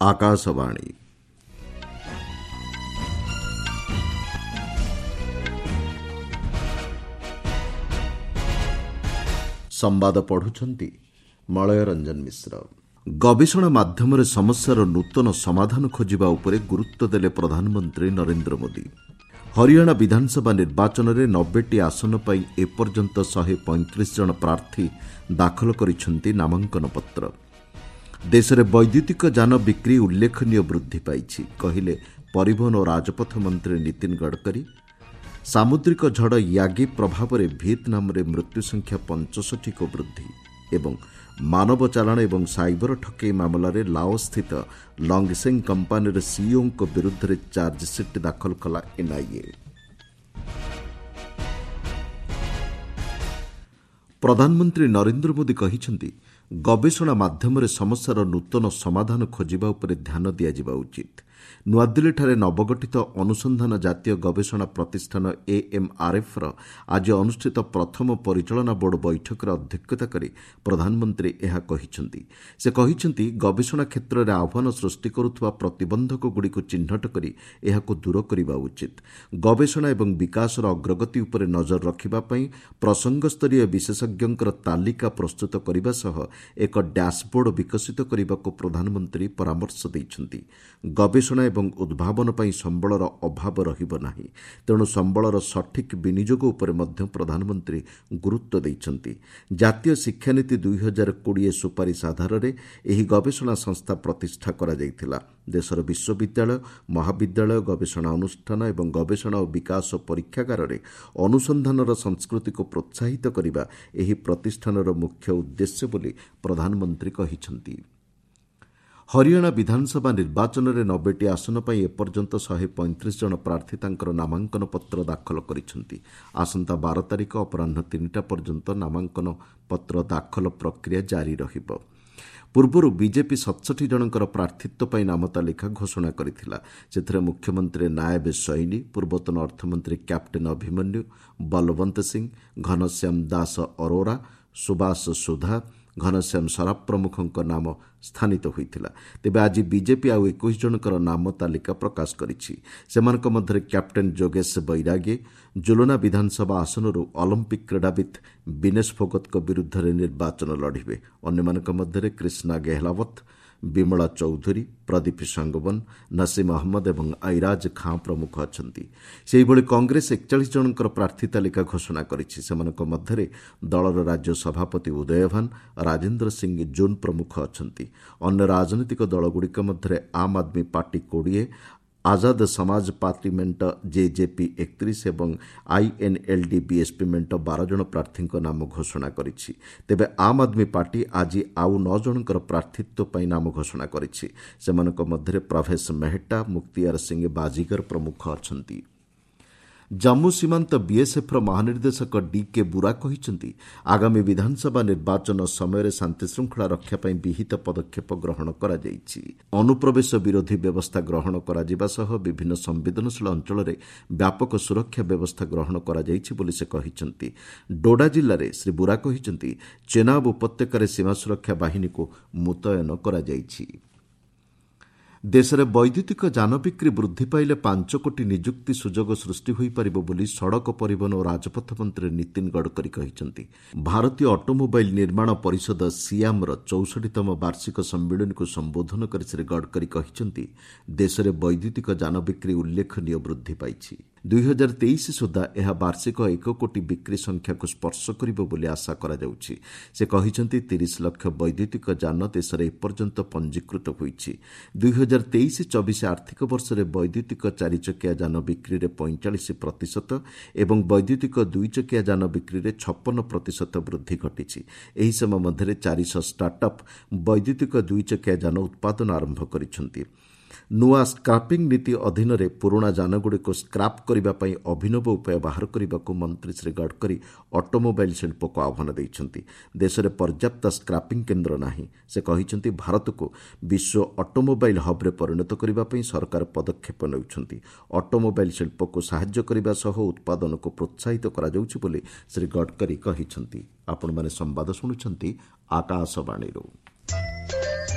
ଆକାଶବାଣୀ। ସମ୍ବାଦ ପଢୁଛନ୍ତି ମଳୟ ରଞ୍ଜନ ମିଶ୍ର। ଗବେଷଣା ମାଧ୍ୟମରେ ସମସ୍ୟାର ନୂତନ ସମାଧାନ ଖୋଜିବା ଉପରେ ଗୁରୁତ୍ୱ ଦେଲେ ପ୍ରଧାନମନ୍ତ୍ରୀ ନରେନ୍ଦ୍ର ମୋଦି। ହରିୟାଣା ବିଧାନସଭା ନିର୍ବାଚନରେ 90ଟି ଆସନ ପାଇଁ ଏପର୍ଯ୍ୟନ୍ତ 135 ଜଣ ପ୍ରାର୍ଥୀ ଦାଖଲ କରିଛନ୍ତି ନାମାଙ୍କନ ପତ୍ର। ଦେଶରେ ବୈଦ୍ୟୁତିକ ଯାନ ବିକ୍ରି ଉଲ୍ଲେଖନୀୟ ବୃଦ୍ଧି ପାଇଛି, କହିଲେ ପରିବହନ ଓ ରାଜପଥ ମନ୍ତ୍ରୀ ନୀତିନ ଗଡ଼କରୀ। ସାମୁଦ୍ରିକ ଝଡ଼ ୟାଗି ପ୍ରଭାବରେ ଭିଏତନାମରେ ମୃତ୍ୟୁ ସଂଖ୍ୟା 65କୁ ବୃଦ୍ଧି। ଏବଂ ମାନବ ଚାଲାଣ ଏବଂ ସାଇବର ଠକେଇ ମାମଲାରେ ଲାଓସ୍ଥିତ ଲଙ୍ଗସେଙ୍ଗ କମ୍ପାନୀର ସିଇଓଙ୍କ ବିରୁଦ୍ଧରେ ଚାର୍ଜସିଟ୍ ଦାଖଲ କଲା ଏନ୍ଆଇଏ। ପ୍ରଧାନମନ୍ତ୍ରୀ ନରେନ୍ଦ୍ର ମୋଦି କହିଛନ୍ତି, ଗବେଷଣା ମାଧ୍ୟମରେ ସମସ୍ୟାର ନୂତନ ସମାଧାନ ଖୋଜିବା ଉପରେ ଧ୍ୟାନ ଦିଆଯିବା ଉଚିତ। ନୂଆଦିଲ୍ଲୀଠାରେ ନବଗଠିତ ଅନୁସନ୍ଧାନ ଜାତୀୟ ଗବେଷଣା ପ୍ରତିଷ୍ଠାନ ଏଏମ୍ଆର୍ଏଫ୍ର ଆଜି ଅନୁଷ୍ଠିତ ପ୍ରଥମ ପରିଚାଳନା ବୋର୍ଡ ବୈଠକରେ ଅଧ୍ୟକ୍ଷତା କରି ପ୍ରଧାନମନ୍ତ୍ରୀ ଏହା କହିଛନ୍ତି। ସେ କହିଛନ୍ତି, ଗବେଷଣା କ୍ଷେତ୍ରରେ ଆହ୍ୱାନ ସୃଷ୍ଟି କରୁଥିବା ପ୍ରତିବନ୍ଧକଗୁଡ଼ିକୁ ଚିହ୍ନଟ କରି ଏହାକୁ ଦୂର କରିବା ଉଚିତ। ଗବେଷଣା ଏବଂ ବିକାଶର ଅଗ୍ରଗତି ଉପରେ ନଜର ରଖିବା ପାଇଁ ପ୍ରସଙ୍ଗସ୍ତରୀୟ ବିଶେଷଜ୍ଞଙ୍କର ତାଲିକା ପ୍ରସ୍ତୁତ କରିବା ସହ ଏକ ଡ୍ୟାସବୋର୍ଡ ବିକଶିତ କରିବାକୁ ପ୍ରଧାନମନ୍ତ୍ରୀ ପରାମର୍ଶ ଦେଇଛନ୍ତି। ଗବେଷଣା ଏବଂ ଉଦ୍ଭାବନ ପାଇଁ ସମ୍ବଳର ଅଭାବ ରହିବ ନାହିଁ, ତେଣୁ ସମ୍ବଳର ସଠିକ୍ ବିନିଯୋଗ ଉପରେ ମଧ୍ୟ ପ୍ରଧାନମନ୍ତ୍ରୀ ଗୁରୁତ୍ୱ ଦେଇଛନ୍ତି। ଜାତୀୟ ଶିକ୍ଷାନୀତି 2020 ସୁପାରିଶ ଆଧାରରେ ଏହି ଗବେଷଣା ସଂସ୍ଥା ପ୍ରତିଷ୍ଠା କରାଯାଇଥିଲା। ଦେଶର ବିଶ୍ୱବିଦ୍ୟାଳୟ, ମହାବିଦ୍ୟାଳୟ, ଗବେଷଣା ଅନୁଷ୍ଠାନ ଏବଂ ଗବେଷଣା ଓ ବିକାଶ ପରୀକ୍ଷାଗାରରେ ଅନୁସନ୍ଧାନର ସଂସ୍କୃତିକୁ ପ୍ରୋତ୍ସାହିତ କରିବା ଏହି ପ୍ରତିଷ୍ଠାନର ମୁଖ୍ୟ ଉଦ୍ଦେଶ୍ୟ ବୋଲି ପ୍ରଧାନମନ୍ତ୍ରୀ କହିଛନ୍ତି। ହରିୟାଣା ବିଧାନସଭା ନିର୍ବାଚନରେ 90ଟି ଆସନ ପାଇଁ ଏପର୍ଯ୍ୟନ୍ତ 135 ଜଣ ପ୍ରାର୍ଥୀ ତାଙ୍କର ନାମାଙ୍କନ ପତ୍ର ଦାଖଲ କରିଛନ୍ତି। ଆସନ୍ତା 12 ତାରିଖ ଅପରାହ୍ନ 3ଟା ପର୍ଯ୍ୟନ୍ତ ନାମାଙ୍କନ ପତ୍ର ଦାଖଲ ପ୍ରକ୍ରିୟା ଜାରି ରହିବ। ପୂର୍ବରୁ ବିଜେପି 67 ଜଣଙ୍କର ପ୍ରାର୍ଥିତ୍ୱ ପାଇଁ ନାମ ତାଲିକା ଘୋଷଣା କରିଥିଲା। ସେଥିରେ ମୁଖ୍ୟମନ୍ତ୍ରୀ ନାୟବ ସୈନି, ପୂର୍ବତନ ଅର୍ଥମନ୍ତ୍ରୀ କ୍ୟାପ୍ଟେନ୍ ଅଭିମନ୍ୟୁ, ବଲବନ୍ତ ସିଂ, ଘନଶ୍ୟାମ ଦାସ ଅରୋରା, ସୁବାସ ସୁଧା, ଘନଶ୍ୟାମ ସରାଫ ପ୍ରମୁଖଙ୍କ ନାମ ସ୍ଥାନିତ ହୋଇଥିଲା। ତେବେ ଆଜି ବିଜେପି ଆଉ 21 ଜଣଙ୍କର ନାମ ତାଲିକା ପ୍ରକାଶ କରିଛି। ସେମାନଙ୍କ ମଧ୍ୟରେ କ୍ୟାପ୍ଟେନ୍ ଯୋଗେଶ ବୈରାଗୀ ଜୁଲନା ବିଧାନସଭା ଆସନରୁ ଅଲିମ୍ପିକ୍ କ୍ରୀଡ଼ାବିତ୍ ବିନେଶ ଫୋଗତଙ୍କ ବିରୁଦ୍ଧରେ ନିର୍ବାଚନ ଲଢ଼ିବେ। ଅନ୍ୟମାନଙ୍କ ମଧ୍ୟରେ କ୍ରିଷ୍ଣା ଗେହଲାୱତ, ବିମଳା ଚୌଧୁରୀ, ପ୍ରଦୀପ ସାଙ୍ଗୱାନ, ନସିମ ଅହମ୍ମଦ ଏବଂ ଐରାଜ ଖାଁ ପ୍ରମୁଖ ଅଛନ୍ତି। ସେହିଭଳି କଂଗ୍ରେସ 41 ଜଣଙ୍କର ପ୍ରାର୍ଥୀ ତାଲିକା ଘୋଷଣା କରିଛି। ସେମାନଙ୍କ ମଧ୍ୟରେ ଦଳର ରାଜ୍ୟ ସଭାପତି ଉଦୟଭାନ, ରାଜେନ୍ଦ୍ର ସିଂ ଜୁନ୍ ପ୍ରମୁଖ ଅଛନ୍ତି। ଅନ୍ୟ ରାଜନୈତିକ ଦଳଗୁଡ଼ିକ ମଧ୍ୟରେ ଆମ୍ ଆଦମୀ ପାର୍ଟି 20, ଆଜାଦ ସମାଜ ପାର୍ଟି ମେଣ୍ଟ ଜେଜେପି 31 ଏବଂ ଆଇଏନ୍ଏଲ୍ଡି ବିଏସ୍ପି ମେଣ୍ଟ 12 ଜଣ ପ୍ରାର୍ଥୀଙ୍କ ନାମ ଘୋଷଣା କରିଛି। ତେବେ ଆମ୍ ଆଦମୀ ପାର୍ଟି ଆଜି ଆଉ 9 ଜଣଙ୍କର ପ୍ରାର୍ଥିତ୍ୱ ପାଇଁ ନାମ ଘୋଷଣା କରିଛି। ସେମାନଙ୍କ ମଧ୍ୟରେ ପ୍ରଭେଶ ମେହେଟ୍ଟା, ମୁକ୍ତିଆର ସିଂ ବାଜିଗର ପ୍ରମୁଖ ଅଛନ୍ତି। ଜାମ୍ମୁ ସୀମାନ୍ତ ବିଏସ୍ଏଫ୍ର ମହାନିର୍ଦ୍ଦେଶକ ଡିକେ ବୁରା କହିଛନ୍ତି, ଆଗାମୀ ବିଧାନସଭା ନିର୍ବାଚନ ସମୟରେ ଶାନ୍ତିଶୃଙ୍ଖଳା ରକ୍ଷା ପାଇଁ ବିହିତ ପଦକ୍ଷେପ ଗ୍ରହଣ କରାଯାଇଛି। ଅନୁପ୍ରବେଶ ବିରୋଧୀ ବ୍ୟବସ୍ଥା ଗ୍ରହଣ କରାଯିବା ସହ ବିଭିନ୍ନ ସମ୍ବେଦନଶୀଳ ଅଞ୍ଚଳରେ ବ୍ୟାପକ ସୁରକ୍ଷା ବ୍ୟବସ୍ଥା ଗ୍ରହଣ କରାଯାଇଛି ବୋଲି ସେ କହିଛନ୍ତି। ଡୋଡା ଜିଲ୍ଲାରେ ଶ୍ରୀ ବୁରା କହିଛନ୍ତି, ଚେନାବ ଉପତ୍ୟକାରେ ସୀମା ସୁରକ୍ଷା ବାହିନୀକୁ ମୁତୟନ କରାଯାଇଛି। ଦେଶରେ ବୈଦ୍ୟୁତିକ ଯାନ ବିକ୍ରି ବୃଦ୍ଧି ପାଇଲେ 5 କୋଟି ନିଯୁକ୍ତି ସୁଯୋଗ ସୃଷ୍ଟି ହୋଇପାରିବ ବୋଲି ସଡ଼କ ପରିବହନ ଓ ରାଜପଥ ମନ୍ତ୍ରୀ ନୀତିନ ଗଡ଼କରୀ କହିଛନ୍ତି। ଭାରତୀୟ ଅଟୋମୋବାଇଲ୍ ନିର୍ମାଣ ପରିଷଦ ସିଆମ୍ର 64ତମ ବାର୍ଷିକ ସମ୍ମିଳନୀକୁ ସମ୍ବୋଧନ କରି ଶ୍ରୀ ଗଡ଼କରୀ କହିଛନ୍ତି, ଦେଶରେ ବୈଦ୍ୟୁତିକ ଯାନ ବିକ୍ରି ଉଲ୍ଲେଖନୀୟ ବୃଦ୍ଧି ପାଇଛି। 2023 ସୁଦ୍ଧା ଏହା ବାର୍ଷିକ 1 କୋଟି ବିକ୍ରି ସଂଖ୍ୟାକୁ ସ୍ପର୍ଶ କରିବ ବୋଲି ଆଶା କରାଯାଉଛି। ସେ କହିଛନ୍ତି, 30 ଲକ୍ଷ ବୈଦ୍ୟୁତିକ ଯାନ ଦେଶରେ ଏପର୍ଯ୍ୟନ୍ତ ପଞ୍ଜୀକୃତ ହୋଇଛି। 2023-24 ଆର୍ଥିକ ବର୍ଷରେ ବୈଦ୍ୟୁତିକ ଚାରିଚକିଆ ଯାନ ବିକ୍ରିରେ 45% ଏବଂ ବୈଦ୍ୟୁତିକ ଦୁଇଚକିଆ ଯାନ ବିକ୍ରିରେ 56% ବୃଦ୍ଧି ଘଟିଛି। ଏହି ସମୟ ମଧ୍ୟରେ 400 ଷ୍ଟାର୍ଟଅପ୍ ବୈଦ୍ୟୁତିକ ଦୁଇଚକିଆ ଯାନ ଉତ୍ପାଦନ ଆରମ୍ଭ କରିଛନ୍ତି। ନୂଆ ସ୍କ୍ରାପିଂ ନୀତି ଅଧୀନରେ ପୁରୁଣା ଯାନଗୁଡ଼ିକୁ ସ୍କ୍ରାପ୍ କରିବା ପାଇଁ ଅଭିନବ ଉପାୟ ବାହାର କରିବାକୁ ମନ୍ତ୍ରୀ ଶ୍ରୀ ଗଡ଼କରୀ ଅଟୋମୋବାଇଲ୍ ଶିଳ୍ପକୁ ଆହ୍ୱାନ ଦେଇଛନ୍ତି। ଦେଶରେ ପର୍ଯ୍ୟାପ୍ତ ସ୍କ୍ରାପିଂ କେନ୍ଦ୍ର ନାହିଁ। ସେ କହିଛନ୍ତି, ଭାରତକୁ ବିଶ୍ୱ ଅଟୋମୋବାଇଲ୍ ହବ୍ରେ ପରିଣତ କରିବା ପାଇଁ ସରକାର ପଦକ୍ଷେପ ନେଉଛନ୍ତି। ଅଟୋମୋବାଇଲ୍ ଶିଳ୍ପକୁ ସାହାଯ୍ୟ କରିବା ସହ ଉତ୍ପାଦନକୁ ପ୍ରୋତ୍ସାହିତ କରାଯାଉଛି ବୋଲି ଶ୍ରୀ ଗଡ଼କରୀ କହିଛନ୍ତି। ଆପଣମାନେ ସମ୍ବାଦ ଶୁଣୁଛନ୍ତି ଆକାଶବାଣୀରୁ।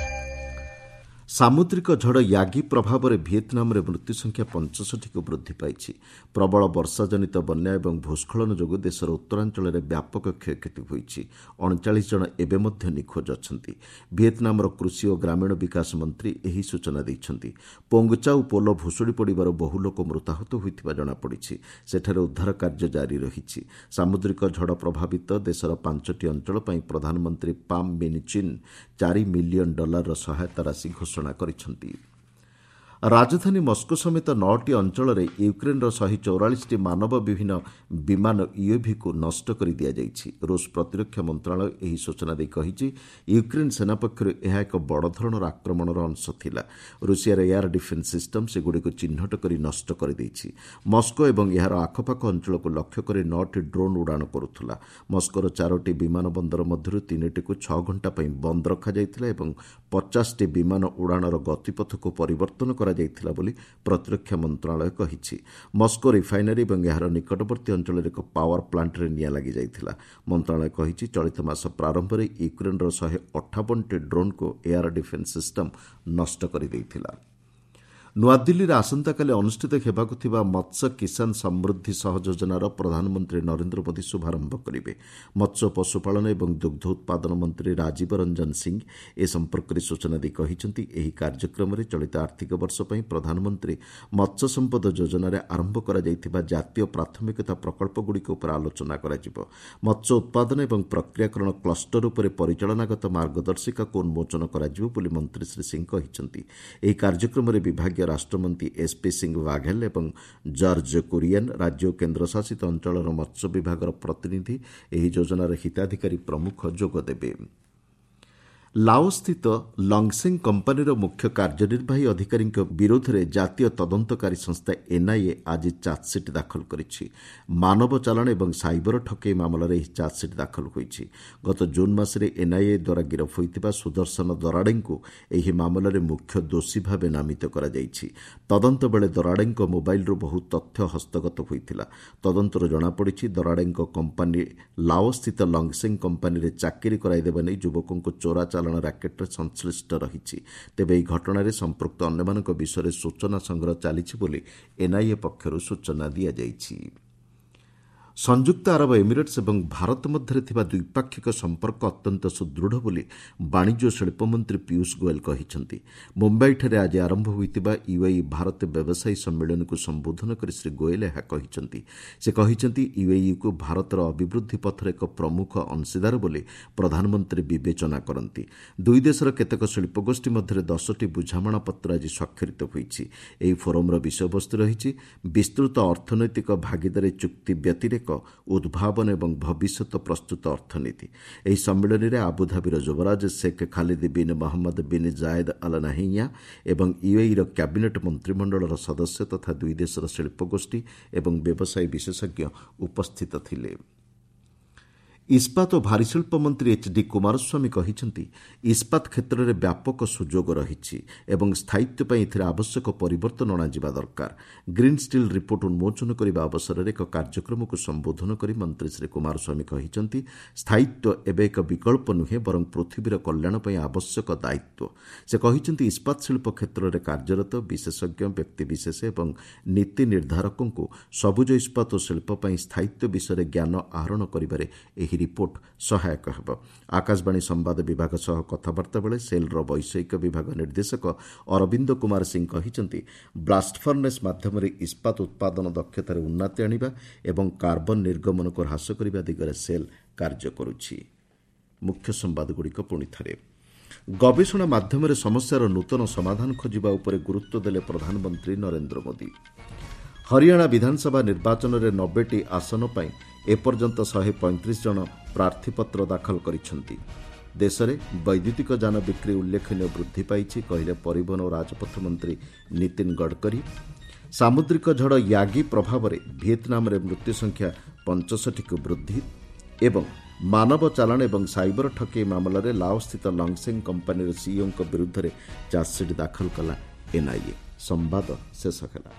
ସାମୁଦ୍ରିକ ଝଡ଼ ୟାଗି ପ୍ରଭାବରେ ଭିଏତନାମରେ ମୃତ୍ୟୁ ସଂଖ୍ୟା 65କୁ ବୃଦ୍ଧି ପାଇଛି। ପ୍ରବଳ ବର୍ଷାଜନିତ ବନ୍ୟା ଏବଂ ଭୂସ୍ଖଳନ ଯୋଗୁଁ ଦେଶର ଉତ୍ତରାଞ୍ଚଳରେ ବ୍ୟାପକ କ୍ଷୟକ୍ଷତି ହୋଇଛି। 39 ଜଣ ଏବେ ମଧ୍ୟ ନିଖୋଜ ଅଛନ୍ତି। ଭିଏତନାମର କୃଷି ଓ ଗ୍ରାମୀଣ ବିକାଶ ମନ୍ତ୍ରୀ ଏହି ସୂଚନା ଦେଇଛନ୍ତି। ପୋଙ୍ଗଚାଉ ପୋଲ ଭୁଶୁଡ଼ି ପଡ଼ିବାରୁ ବହୁ ଲୋକ ମୃତାହତ ହୋଇଥିବା ଜଣାପଡ଼ିଛି। ସେଠାରେ ଉଦ୍ଧାର କାର୍ଯ୍ୟ ଜାରି ରହିଛି। ସାମୁଦ୍ରିକ ଝଡ଼ ପ୍ରଭାବିତ ଦେଶର 5ଟି ଅଞ୍ଚଳ ପାଇଁ ପ୍ରଧାନମନ୍ତ୍ରୀ ପାମ୍ ମିନ୍ ଚିନ୍ 4 ମିଲିୟନ ଡଲାରର ସହାୟତା ରାଶି ଘୋଷଣା କରିଛନ୍ତି। ରାଜଧାନୀ ମସ୍କୋ ସମେତ 9ଟି ଅଞ୍ଚଳରେ ୟୁକ୍ରେନ୍ର 144ଟି ମାନବ ବିହୀନ ବିମାନ ୟୁଏଭିକୁ ନଷ୍ଟ କରି ଦିଆଯାଇଛି। ରୁଷ ପ୍ରତିରକ୍ଷା ମନ୍ତ୍ରଣାଳୟ ଏହି ସୂଚନା ଦେଇ କହିଛି, ୟୁକ୍ରେନ୍ ସେନା ପକ୍ଷରୁ ଏହା ଏକ ବଡ଼ ଧରଣର ଆକ୍ରମଣର ଅଂଶ ଥିଲା। ରୁଷିଆର ଏୟାର ଡିଫେନ୍ସ ସିଷ୍ଟମ ସେଗୁଡ଼ିକୁ ଚିହ୍ନଟ କରି ନଷ୍ଟ କରିଦେଇଛି। ମସ୍କୋ ଏବଂ ଏହାର ଆଖପାଖ ଅଞ୍ଚଳକୁ ଲକ୍ଷ୍ୟ କରି 9ଟି ଡ୍ରୋନ୍ ଉଡ଼ାଣ କରୁଥିଲା। ମସ୍କୋର 4ଟି ବିମାନ ବନ୍ଦର ମଧ୍ୟରୁ 3ଟିକୁ 6 ଘଣ୍ଟା ପାଇଁ ବନ୍ଦ ରଖାଯାଇଥିଲା ଏବଂ 50ଟି ବିମାନ ଉଡ଼ାଣର ଗତିପଥକୁ ପରିବର୍ତ୍ତନ କରାଯାଇଥିଲା ବୋଲି ପ୍ରତିରକ୍ଷା ମନ୍ତ୍ରଣାଳୟ କହିଛି। ମସ୍କୋ ରିଫାଇନାରୀ ଏବଂ ଏହାର ନିକଟବର୍ତ୍ତୀ ଅଞ୍ଚଳରେ ଏକ ପାୱାର ପ୍ଲାଣ୍ଟରେ ନିଆଁ ଲାଗିଯାଇଥିଲା। ମନ୍ତ୍ରଣାଳୟ କହିଛି, ଚଳିତ ମାସ ପ୍ରାରମ୍ଭରେ ୟୁକ୍ରେନ୍ର 158ଟି ଡ୍ରୋନ୍କୁ ଏୟାର ଡିଫେନ୍ସ ସିଷ୍ଟମ ନଷ୍ଟ କରିଦେଇଥିଲା। ନୂଆଦିଲ୍ଲୀରେ ଆସନ୍ତାକାଲି ଅନୁଷ୍ଠିତ ହେବାକୁ ଥିବା ମତ୍ସ୍ୟ କିଷାନ ସମୃଦ୍ଧି ସହଯୋଜନାର ପ୍ରଧାନମନ୍ତ୍ରୀ ନରେନ୍ଦ୍ର ମୋଦି ଶୁଭାରମ୍ଭ କରିବେ। ମତ୍ସ୍ୟ, ପଶୁପାଳନ ଏବଂ ଦୁଗ୍ଧ ଉତ୍ପାଦନ ମନ୍ତ୍ରୀ ରାଜୀବ ରଞ୍ଜନ ସିଂ ଏ ସମ୍ପର୍କରେ ସୂଚନା ଦେଇ କହିଛନ୍ତି, ଏହି କାର୍ଯ୍ୟକ୍ରମରେ ଚଳିତ ଆର୍ଥିକ ବର୍ଷ ପାଇଁ ପ୍ରଧାନମନ୍ତ୍ରୀ ମତ୍ସ୍ୟ ସମ୍ପଦ ଯୋଜନାରେ ଆରମ୍ଭ କରାଯାଇଥିବା ଜାତୀୟ ପ୍ରାଥମିକତା ପ୍ରକଳ୍ପଗୁଡ଼ିକ ଉପରେ ଆଲୋଚନା କରାଯିବ। ମତ୍ସ୍ୟ ଉତ୍ପାଦନ ଏବଂ ପ୍ରକ୍ରିୟାକରଣ କ୍ଲଷ୍ଟର ଉପରେ ପରିଚାଳନାଗତ ମାର୍ଗଦର୍ଶିକାକୁ ଉନ୍ମୋଚନ କରାଯିବ ବୋଲି ମନ୍ତ୍ରୀ ଶ୍ରୀ ସିଂ କହିଛନ୍ତି। ଏହି କାର୍ଯ୍ୟକ୍ରମରେ ବିଭାଗୀୟ ରାଷ୍ଟ୍ରମନ୍ତ୍ରୀ ଏସ୍ପି ସିଂ ବାଘେଲ ଏବଂ ଜର୍ଜ କୁରିଏନ୍, ରାଜ୍ୟ ଓ କେନ୍ଦ୍ରଶାସିତ ଅଞ୍ଚଳର ମତ୍ସ୍ୟ ବିଭାଗର ପ୍ରତିନିଧି, ଏହି ଯୋଜନାର ହିତାଧିକାରୀ ପ୍ରମୁଖ ଯୋଗଦେବେ। ଲାଓସ୍ଥିତ ଲଙ୍ଗସେଙ୍ଗ କମ୍ପାନୀର ମୁଖ୍ୟ କାର୍ଯ୍ୟନିର୍ବାହୀ ଅଧିକାରୀଙ୍କ ବିରୋଧରେ ଜାତୀୟ ତଦନ୍ତକାରୀ ସଂସ୍ଥା ଏନ୍ଆଇଏ ଆଜି ଚାର୍ଜସିଟ୍ ଦାଖଲ କରିଛି। ମାନବ ଚାଲାଣ ଏବଂ ସାଇବର ଠକେଇ ମାମଲାରେ ଏହି ଚାର୍ଜସିଟ୍ ଦାଖଲ ହୋଇଛି। ଗତ ଜୁନ୍ ମାସରେ ଏନ୍ଆଇଏ ଦ୍ୱାରା ଗିରଫ ହୋଇଥିବା ସୁଦର୍ଶନ ଦରାଡେଙ୍କୁ ଏହି ମାମଲାରେ ମୁଖ୍ୟ ଦୋଷୀ ଭାବେ ନାମିତ କରାଯାଇଛି। ତଦନ୍ତ ବେଳେ ଦରାଡେଙ୍କ ମୋବାଇଲରୁ ବହୁ ତଥ୍ୟ ହସ୍ତଗତ ହୋଇଥିଲା। ତଦନ୍ତରୁ ଜଣାପଡ଼ିଛି, ଦରାଡେଙ୍କ କମ୍ପାନୀ ଲାଓସ୍ଥିତ ଲଙ୍ଗସେଙ୍ଗ କମ୍ପାନୀରେ ଚାକିରି କରାଇଦେବା ନେଇ ଯୁବକଙ୍କୁ ଚୋରା ଚାଲାଣ ରାକେଟରେ ସଂଶ୍ଳିଷ୍ଟ ରହିଛି। ତେବେ ଏହି ଘଟଣାରେ ସମ୍ପୃକ୍ତ ଅନ୍ୟମାନଙ୍କ ବିଷୟରେ ସୂଚନା ସଂଗ୍ରହ ଚାଲିଛି ବୋଲି ଏନ୍ଆଇଏ ପକ୍ଷରୁ ସୂଚନା ଦିଆଯାଇଛି। ସଂଯୁକ୍ତ ଆରବ ଏମିରେଟ୍ସ ଏବଂ ଭାରତ ମଧ୍ୟରେ ଥିବା ଦ୍ୱିପାକ୍ଷିକ ସମ୍ପର୍କ ଅତ୍ୟନ୍ତ ସୁଦୃଢ଼ ବୋଲି ବାଣିଜ୍ୟ ଓ ଶିଳ୍ପମନ୍ତ୍ରୀ ପୀୟୁଷ ଗୋଏଲ କହିଛନ୍ତି। ମୁମ୍ବାଇଠାରେ ଆଜି ଆରମ୍ଭ ହୋଇଥିବା ୟୁଏଇ ଭାରତ ବ୍ୟବସାୟୀ ସମ୍ମିଳନୀକୁ ସମ୍ବୋଧନ କରି ଶ୍ରୀ ଗୋଏଲ ଏହା କହିଛନ୍ତି। ସେ କହିଛନ୍ତି, ୟୁଏଇକୁ ଭାରତର ଅଭିବୃଦ୍ଧି ପଥରେ ଏକ ପ୍ରମୁଖ ଅଂଶୀଦାର ବୋଲି ପ୍ରଧାନମନ୍ତ୍ରୀ ବିବେଚନା କରନ୍ତି। ଦୁଇ ଦେଶର କେତେକ ଶିଳ୍ପଗୋଷ୍ଠୀ ମଧ୍ୟରେ 10ଟି ବୁଝାମଣାପତ୍ର ଆଜି ସ୍ୱାକ୍ଷରିତ ହୋଇଛି। ଏହି ଫୋରମ୍ର ବିଷୟବସ୍ତୁ ରହିଛି ବିସ୍ତୃତ ଅର୍ଥନୈତିକ ଭାଗିଦାରୀ ଚୁକ୍ତି ବ୍ୟତିରେକ ଉଦ୍ଭାବନ ଏବଂ ଭବିଷ୍ୟତ ପ୍ରସ୍ତୁତ ଅର୍ଥନୀତି। ଏହି ସମ୍ମିଳନୀରେ ଆବୁଧାବିର ଯୁବରାଜ Sheikh Khalid bin Mohammed bin Zayed Al Nahyan ଏବଂ ୟୁଏଇର କ୍ୟାବିନେଟ୍ ମନ୍ତ୍ରିମଣ୍ଡଳର ସଦସ୍ୟ ତଥା ଦୁଇ ଦେଶର ଶିଳ୍ପଗୋଷ୍ଠୀ ଏବଂ ବ୍ୟବସାୟୀ ବିଶେଷଜ୍ଞ ଉପସ୍ଥିତ ଥିଲେ। ଇସ୍ପାତ ଓ ଭାରୀଶିଳ୍ପ ମନ୍ତ୍ରୀ ଏଚ୍ ଡି କୁମାରସ୍ୱାମୀ କହିଛନ୍ତି, ଇସ୍ପାତ କ୍ଷେତ୍ରରେ ବ୍ୟାପକ ସୁଯୋଗ ରହିଛି ଏବଂ ସ୍ଥାୟିତ୍ୱ ପାଇଁ ଏଥିରେ ଆବଶ୍ୟକ ପରିବର୍ତ୍ତନ ଅଣାଯିବା ଦରକାର। ଗ୍ରୀନ୍ ଷ୍ଟିଲ୍ ରିପୋର୍ଟ ଉନ୍ମୋଚନ କରିବା ଅବସରରେ ଏକ କାର୍ଯ୍ୟକ୍ରମକୁ ସମ୍ବୋଧନ କରି ମନ୍ତ୍ରୀ ଶ୍ରୀ କୁମାରସ୍ୱାମୀ କହିଛନ୍ତି, ସ୍ଥାୟିତ୍ୱ ଏବେ ଏକ ବିକଳ୍ପ ନୁହେଁ, ବରଂ ପୃଥିବୀର କଲ୍ୟାଣ ପାଇଁ ଆବଶ୍ୟକ ଦାୟିତ୍ୱ। ସେ କହିଛନ୍ତି, ଇସ୍ପାତ ଶିଳ୍ପ କ୍ଷେତ୍ରରେ କାର୍ଯ୍ୟରତ ବିଶେଷଜ୍ଞ, ବ୍ୟକ୍ତିବିଶେଷ ଏବଂ ନୀତି ନିର୍ଦ୍ଧାରକଙ୍କୁ ସବୁଜ ଇସ୍ପାତ ଓ ଶିଳ୍ପ ପାଇଁ ସ୍ଥାୟିତ୍ୱ ବିଷୟରେ ଜ୍ଞାନ ଆହରଣ କରିବାରେ ଏହି ରିପୋର୍ଟ ସହାୟକ ହେବ। ଆକାଶବାଣୀ ସମ୍ବାଦ ବିଭାଗ ସହ କଥାବାର୍ତ୍ତା ବେଳେ ସେଲ୍ର ବୈଷୟିକ ବିଭାଗ ନିର୍ଦ୍ଦେଶକ ଅରବିନ୍ଦ କୁମାର ସିଂ କହିଛନ୍ତି, ବ୍ଲାଷ୍ଟ ଫର୍ନେସ୍ ମାଧ୍ୟମରେ ଇସ୍ପାତ ଉତ୍ପାଦନ ଦକ୍ଷତାରେ ଉନ୍ନତି ଆଣିବା ଏବଂ କାର୍ବନ ନିର୍ଗମନକୁ ହ୍ରାସ କରିବା ଦିଗରେ ସେଲ୍ କାର୍ଯ୍ୟ କରୁଛି। ମୁଖ୍ୟ ସମ୍ବାଦଗୁଡ଼ିକ ପୁଣି ଥରେ। ଗବେଷଣା ମାଧ୍ୟମରେ ସମସ୍ୟାର ନୂତନ ସମାଧାନ ଖୋଜିବା ଉପରେ ଗୁରୁତ୍ୱ ଦେଲେ ପ୍ରଧାନମନ୍ତ୍ରୀ ନରେନ୍ଦ୍ର ମୋଦି। ହରିୟାଣା ବିଧାନସଭା ନିର୍ବାଚନରେ 90ଟି ଆସନ ପାଇଁ ଏପର୍ଯ୍ୟନ୍ତ 135 ଜଣ ପ୍ରାର୍ଥୀପତ୍ର ଦାଖଲ କରିଛନ୍ତି। ଦେଶରେ ବୈଦ୍ୟୁତିକ ଯାନ ବିକ୍ରି ଉଲ୍ଲେଖନୀୟ ବୃଦ୍ଧି ପାଇଛି, କହିଲେ ପରିବହନ ଓ ରାଜପଥ ମନ୍ତ୍ରୀ ନୀତିନ ଗଡ଼କରୀ। ସାମୁଦ୍ରିକ ଝଡ଼ ୟାଗି ପ୍ରଭାବରେ ଭିଏତନାମରେ ମୃତ୍ୟୁ ସଂଖ୍ୟା 65କୁ ବୃଦ୍ଧି ଏବଂ ମାନବ ଚାଲାଣ ଏବଂ ସାଇବର ଠକେଇ ମାମଲାରେ ଲାଓସ୍ଥିତ ଲଙ୍ଗସେଙ୍ଗ କମ୍ପାନୀର ସିଇଓଙ୍କ ବିରୁଦ୍ଧରେ ଚାର୍ଜସିଟ୍ ଦାଖଲ କଲା ଏନ୍ଆଇଏ। ସମ୍ବାଦ ଶେଷ ହେଲା।